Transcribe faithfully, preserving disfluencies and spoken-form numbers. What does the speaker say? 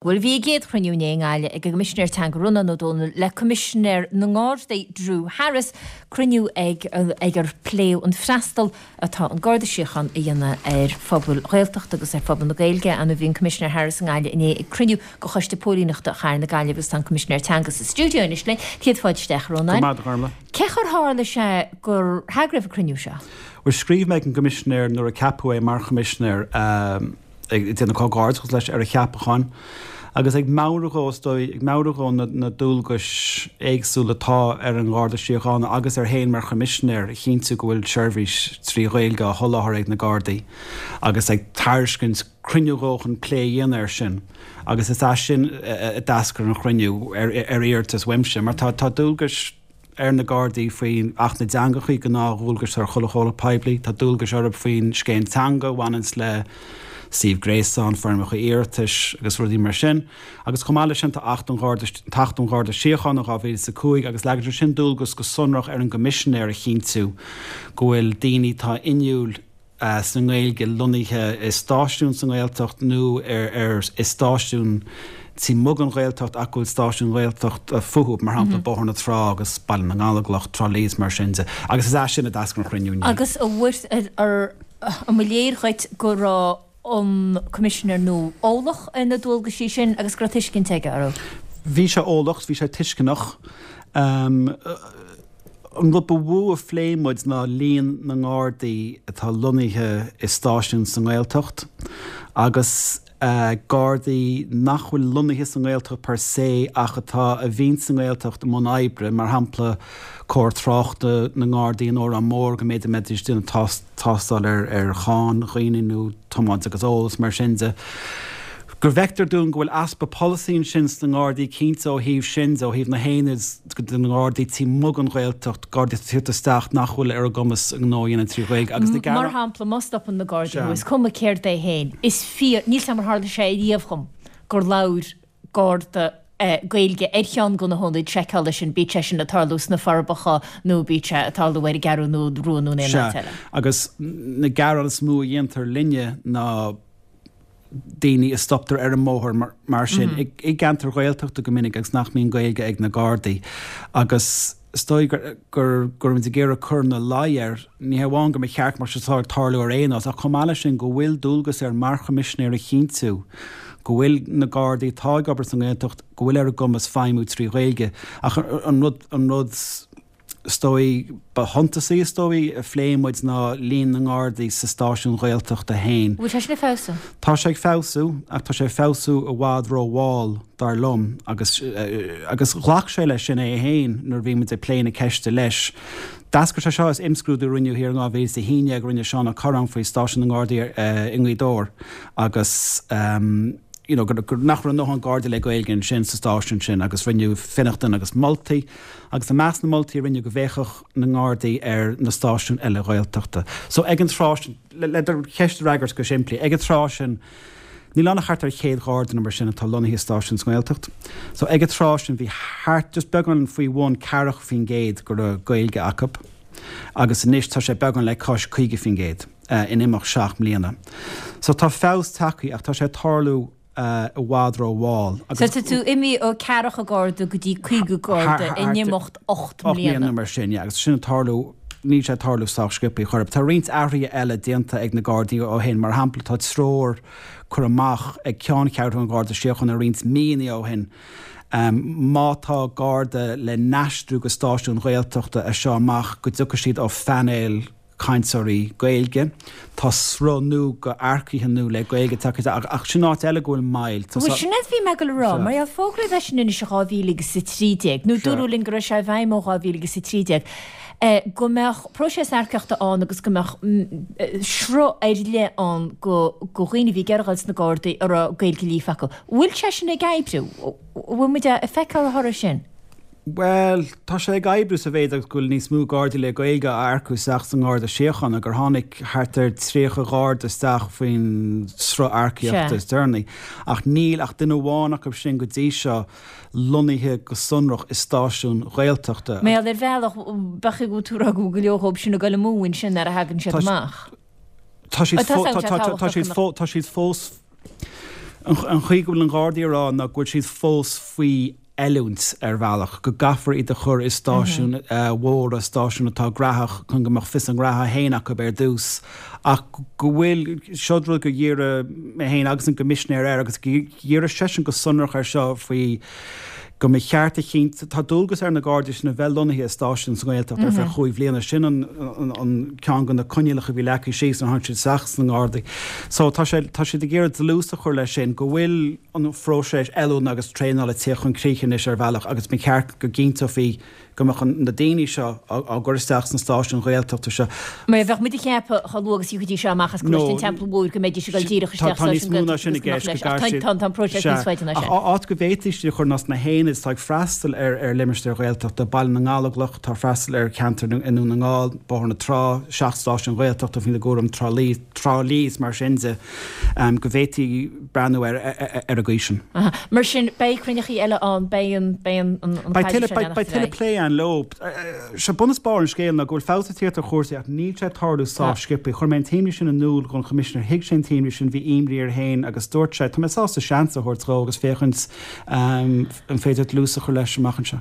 Bhuel, bhí a gcéad chruinniú inné i nGaillimh ag an gCoimisinéir Teanga Rónán Ó Domhnaill le Coimisinéir na nGardaí Drew Harris, cruinniú ag ag ar pléadh an freastal atá an Garda Síochána a dhéanamh ar phobail Ghaeltachta agus ar phobal na Gaeilge. Ann bhí an Coimisinéir Harris i nGaillimh inné ag cruinniú de Choiste Póilíneachta Chathair na Gaillimhe agus tá an Coimisinéir Teanga sa stiúideo anois linn. Céad fáilte isteach, a Rónáin. Go raibh maith agat, a Ghormlaith. Cé chaoi ar tharla sé gur heagraíodh an cruinniú seo? Bhuel, scríobh mé ag an gCoimisinéir nuair a ceapadh é mar Choimisinéir. Ag déanamh comhghairdeachas leis ar a cheapachán agus ag meabhrú dhó, is dóigh, ag meabhrú dhó na dualgais éagsúla atá ar an nGarda Síochána agus air féin mar Choimisinéir a chinntiú go bhfuil seirbhís trí Ghaeilge á sholáthar ag na Gardaí agus ag tairiscint cruinniú dhó chun plé a dhéanamh air sin agus is as sin a d'eascair an chruinniú ar iarratas uaimse mar tá dualgais ar na Gardaí faoin Acht na dTeangachaí, gnáthdhualgais ar chuile chomhlacht poiblí. Tá dualgais orthu faoin Scéim Teanga a bhaineanns le suíomh gréasáin, foirmeacha iarratais agus rudaí mar sin. Agus chomh maith leis sin tá Acht an Gharda, tAcht um Gharda Síochána dhá mhíle is a cúig agus leagann sé sin dualgas go sonrach ar an gCoimisinéir a chinntiú go bhfuil daoine atá inniúil sa nGaeilge lonnaithe i stáisiún sa nGaeltacht nó ar i stáisiún taobh amuigh den Ghaeltacht ach go bhfuil stáisiún Ghaeltachta fúthu, mar shampla Bóthar na Trá agus Baile na nGallóglach, Trá Lí is mar sin de. Agus is as sin a d'eascair an chruinniú inné. Agus an mba léir dhuit go raibh an Coimisinéir nua eolach ar na dualgaisí sin agus go raibh tuiscint aige orthu? Bhí sé eolach, bhí sé tuisceanach. An rud ba mhó a phléigh muid ná líon na nGardaí atá lonnaithe i stáisiúin sa nGaeltacht agus Gardaí nach bhfuil lonnaithe sa nGaeltacht per se ach atá a bhíonn sa nGaeltacht i mbun oibre, mar shampla cór tráchta na nGardaí in Órán Mór go mb'fhéidir mbeidís ag déanamh tástáil ar cháin dhaoine nó tiomáint agus ól is mar sin de. Go bhfeictear dúinn go bhfuil easpa polasaí ansin sna nGardaí cinnte ó thaobh sin de, ó thaobh na haonaid de na nGardaí taobh amuigh den Ghaeltacht, Gardaí atá ag tíocht isteach nach bhfuil ar a gcumas a ngnó a dhéanamh trí Ghaeilge agus na Mar shampla, má stopann na Gardaí thú, is cuma céard é féin, is fíor, níl 's agam ar tharla sé riamh dhom gur labhair Garda Gaeilge ar cheann de na hionaid seiceála sin, bíodh sé sin ag tarlú sna Forbacha nó bíodh sé ag tarlú ar an gCeathrú Rua nó in aon áit Sea, eile. agus na gearáin is mó a dhéantar linne ná daoine a stoptar ar an mbóthar mar sin i gceantair Ghaeltachta go minic agus nach mbíonn Gaeilge ag na Gardaí agus is dóigh gur go raibh muid ag iarraidh cur ina luí air, ní hé amháin go mba cheart go mbeadh sé seo ag tarlú ar aon nós ach chomh maith leis sin go bhfuil dualgas air mar Choimisinéir a chinntiú go bhfuil na Gardaí atá ag obair sa nGaeltacht go bhfuil ar a gcumas feidhmiú trí Ghaeilge ach an rud an rud is dóigh, ba shuntasaí, is dóigh, a phléigh muid ná líon na nGardaí sa stáisiún Ghaeltachta féin. Bhfuil sé sin ag feabhsú? Tá sé ag feabhsú, ach tá sé ag feabhsú i bhfad rómhall, dar liom, agus, agus ghlac sé leis sin é féin nuair a bhí muid ag plé na ceiste leis. D'eascair sé seo as imscrúdú a rinneadh thiar in dhá mhíle is a haon déag, a rinne Seán Ó Corráin faoi stáisiún na nGardaí i nGaoth Dobhair agus, you know, gur, nach raibh a ndóthain Gardaí le Gaeilge ansin sa stáisiún sin agus rinneadh fionnachtain agus moltaí agus i measc na moltaí a rinneadh go bhféachfadh na nGardaí ar na stáisiúin eile Ghaeltachta. So ag an tráth sin, le do cheist a fhreagairt go simplí, ag an tráth sin níl ann ach thart ar chéad Gharda nó mar sin atá lonnaithe i stáisiúin sa nGaeltacht. So ag an tráth sin bhí thart, just beagán faoi bhun ceathracha faoin gcéad go raibh Gaeilge acu agus anois tá sé beagán le cois caoga faoin gcéad. in imeacht seacht mbliana. So tá feabhas tagtha ach tá sé ag tarlú i bhfad rómhall. So tá tú imithe ó ceathracha garda go dtí caoga garda in imeacht ocht mbliana. Ocht mbliana mar sin, yeah. Agus sin ag tarlú, níl sé ag tarlú sách sciobtha chor ar bith. Tá roinnt athruithe eile déanta ag na Gardaí ó shin. Mar shampla, tá treoir curtha amach ag Ceanncheathrú an Gharda Síochána roinnt míonna ó shin má tá Garda le n-aistriú go stáisiún Ghaeltachta as seo amach go dtiocfaidh siad ó phainéal cainteoirí Gaeilge. Tá sruth nua d'earcaithe nua le Gaeilge tagtha isteach ach sin áit eile go bhfuil moill. Tá Bhuel, sin é a bhí mé ag dul a rá, mar gheall fógraíodh é sin anois i dhá mhíle agus a trí déag, nó dúradh linn go raibh sé i bhfeidhm ó dhá mhíle agus a trí déag, go mbeadh próiseas earcaíochta ann agus go mbeadh sruth ar leith ann do dhaoine a bhí ag iarraidh dul sna Gardaí a raibh Gaeilge líofa acu. Bhfuil sé sin ag oibriú? Bhfuil muid ag feiceáil a thoradh sin? Bhuel, tá sé ag oibriú sa mhéid agus go bhfuil níos mó Gardaí le Gaeilge á earcú isteach sa nGarda Síochána, gur tháinig thart ar tríocha Gharda isteach faoin sruth earcaíochta is deireanaí. Ach níl ach duine amháin acu sin go dtí seo lonnaithe go sonrach i stáisiún Ghaeltachta. Mar gheall ar bhealach, b'fhéidir go bhfuil tú ag rá go bhfuil go leor dhóibh sin ag dul amú ansin nuair a thagann siad amach. Tá siad fós. An chaoi go bhfuil an Ghardaí a rá ná go bhfuil siad fós faoi oiliúint ar bhealach, go gcaithfear iad a chur i stáisiúin mhóra, stáisiúin atá graitheach chun go mbeadh fios a ngraithe féin acu ar dtús, ach go bhfuil, seo rud gur dhírigh mé féin agus an Coimisinéir air agus dhírigh seisean go sonrach air seo faoi go mba cheart a chinntiú, tá dualgas ar na Gardaí sin a bheith lonnaithe i stáisiún sa nGaeltacht ar feadh chúig bhliana, sin an ceann de na coinníollacha a bhí leagtha síos nuair a tháinig siad isteach sna nGardaí. So tá sé, tá siad ag iarraidh dlús a chur leis sin, go bhfuil an phróiseas oiliúna agus traenála ag tíocht chun críche anois ar bhealach agus ba cheart go gcinnteofaí go mbeadh na daoine seo á gcur isteach sna stáisiúin Ghaeltachta seo. Mar bheadh muid ag ceapadh chomh luath agus a thiocfaidís seo amach as Coláiste an Teampaill Mhóir go mbeidís ag dul díreach isteach sa stáisiún Gaeltachta agus go mbeadh leis. Ach tá an próiseas níos faide ná sin. Áit go bhféadfaí iad a chur ná sna haonaid atá ag freastal ar limistéir Ghaeltachta, Baile na nGallóglach atá ag freastal ar cheantar i nDún na nGall, Bóthar na Trá, seacht stáisiún Ghaeltachta faoina gcúram, Trá Lí, Trá Lí is mar sin de, go bhféadfaí breathnú air ar an gcaoi sin. Mar sin, beidh cruinneachaí eile ann, beidh an, beidh an, an Beidh tuilleadh, beidh, beidh tuilleadh plé ann leo. Sé bun is barr an scéil ná go bhfuil feabhas ag tíocht ar chúrsaí ach níl sé ag tarlú sách sciobtha. Chuir mé an t-imní sin in iúl don Choimisinéir, thuig sé an t-imní sin, bhí imní air féin agus dúirt sé, tá mé sásta seans a thabhairt dhó agus féachaint an féidir dlús a chur leis amach anseo.